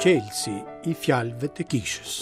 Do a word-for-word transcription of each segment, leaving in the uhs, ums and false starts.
Çelësi i fjalëve të kishës.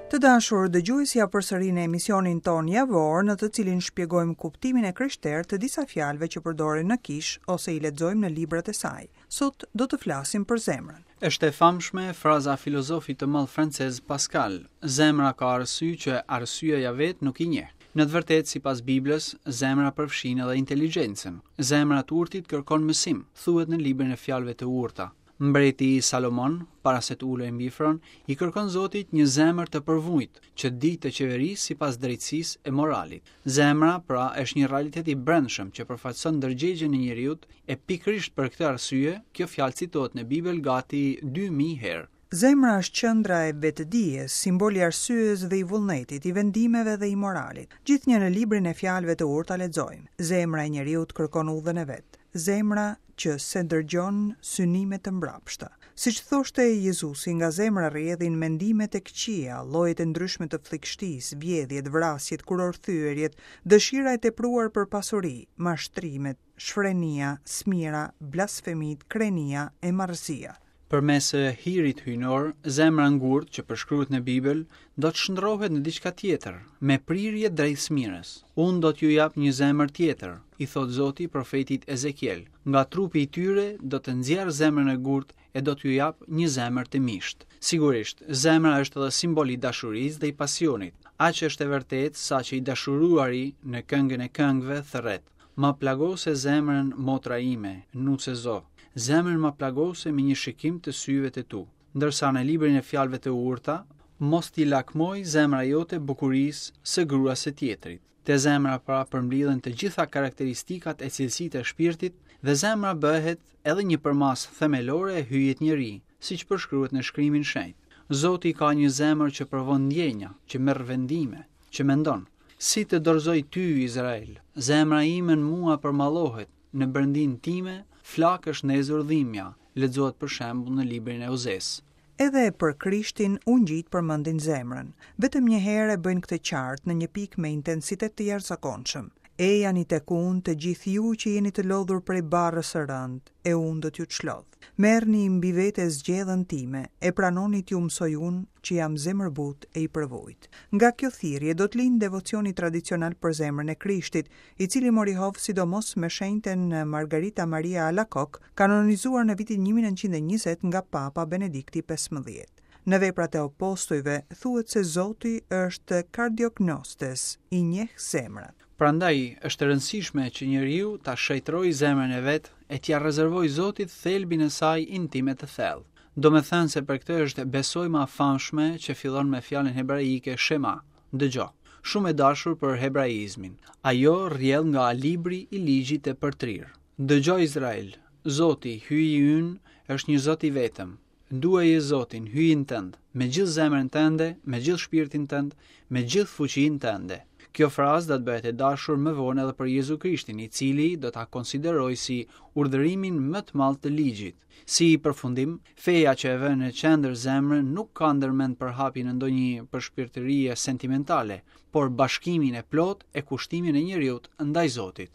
Të dashur dëgjues, ja përsëri në emisionin ton javor, në të cilin shpjegojmë kuptimin e krishterë të disa fjalëve që përdoren në kishë ose i lexojmë në librat e saj. Sot do të flasim për zemrën. Është e famshme fraza filozofit të madh francez Pascal, zemra ka arsye që arsyeja vetë nuk i njeh. Në të vërtetë, sipas Biblës, zemra përfshin edhe inteligjencën. Zemra të urtit kërkon mësim, thuhet në librin e fjalëve të urta. Mbreti Salomon, para se të ulej mbi fron, i kërkon Zotit një zemër të përvujt, që di të qeverisë sipas drejtësisë e moralit. Zemra, pra, është një realitet i brendshëm që përfaqëson ndërgjegjen e njeriut, e pikërisht për këtë arsye, kjo fjalë citohet në Bibël gati dy mijë herë. Zemra është qendra e vetëdijes, simboli i arsyes dhe i vullnetit, i vendimeve dhe i moralit. Gjithnjë në librin e fjalëve të urta lexojmë: Zemra e njeriut kërkon udhën e vet. Zemra që se ndërgjon synime të mbrapshta. Siç thoshte Jezusi, nga zemra rrjedhin mendimet e këqija, llojet e ndryshme të flikshtisë, vjedhjet, vrasjet, kurorthyerjet, dëshira e tepruar për pasuri, mashtrimet, shfrenia, smira, blasfemit, krenia e marrëzia. Përmes hirit hyjnor, zemra ngurt që përshkruhet në Bibël do të shndrohet në diçka tjetër, me prirje drejt smirës. Unë do t'ju jap një zemër tjetër, i thot Zoti profetit Ezekiel. Nga trupi i tyre do të nxjerr zemrën e gurt e do t'ju jap një zemër të mishtë. Sigurisht, zemra është edhe simbol i dashurisë dhe i pasionit. Aq është e vërtetë sa që i dashuruari në këngën e këngëve thërret: Ma plagose zemrën motra ime, nuse zo. Zemrën ma plagose me një shikim të syve të tu. Ndërsa në librin e fjalëve të urta, mos t'i lakmoj zemra jote bukurisë së gruas së tjetrit. Te zemra pra përmblidhen të gjitha karakteristikat e cilësitë e shpirtit dhe zemra bëhet edhe një përmasë themelore e hyjit njeri, siç përshkruhet në shkrimin shenjt. Zoti ka një zemër që provon ndjenja, që merr vendime, që mendon. Si të dorëzoj ty, Izrael? Zemra ime në mua përmallohet, në brendin time flakë është ndezur dhimbja, lexohet për shembull në librin e Ozes. Edhe për Krishtin ungjit përmendin zemrën. Vetëm një herë e bëjnë këtë qartë në një pikë me intensitet të jashtëzakonshëm. Ejani tek unë të gjithë ju që jeni të lodhur prej barrës së rëndë, e unë do t'ju çlodh. Merrni mbi vete zgjedhën time, e pranoni t'ju mësoj unë që jam zemërbut e i përvujt. Nga kjo thirrje do të lind devocioni tradicional për zemrën e Krishtit, i cili mori hov sidomos me shenjten Margarita Maria Alacoque, kanonizuar në vitin një mijë e nëntëqind e njëzet nga Papa Benedikti pesëmbëdhjetë. Në veprat e apostujve thuhet se Zoti është kardiognostes, i njeh zemrat. Prandaj është e rëndësishme që njeriu ta shejtrojë zemrën e vet e t'ia rezervojë Zotit thelbin e saj intime të thellë. Do me thënë se për këtë është besojma e famshme që fillon me fjalën hebraike Shema, dëgjo, shumë e dashur për hebraizmin. Ajo rrjedh nga libri i ligjit të përtrirë. Dëgjo Izrael, Zoti, hyji ynë, është një Zot i vetëm. Duaje Zotin, hyjin tënd, me gjithë zemrën tënde, me gjithë shpirtin tënd, me gjithë fuqinë tënde. Kjo frazë do të bëhet e dashur më vonë edhe për Jezu Krishtin, i cili do ta konsiderojë si urdhërimin më të madh të ligjit. Si përfundim, feja që e vë në qendër zemrën nuk ka ndërmend përhapjen e ndonjë përshpirtërie sentimentale, por bashkimin e plot e kushtimin e njeriut ndaj Zotit.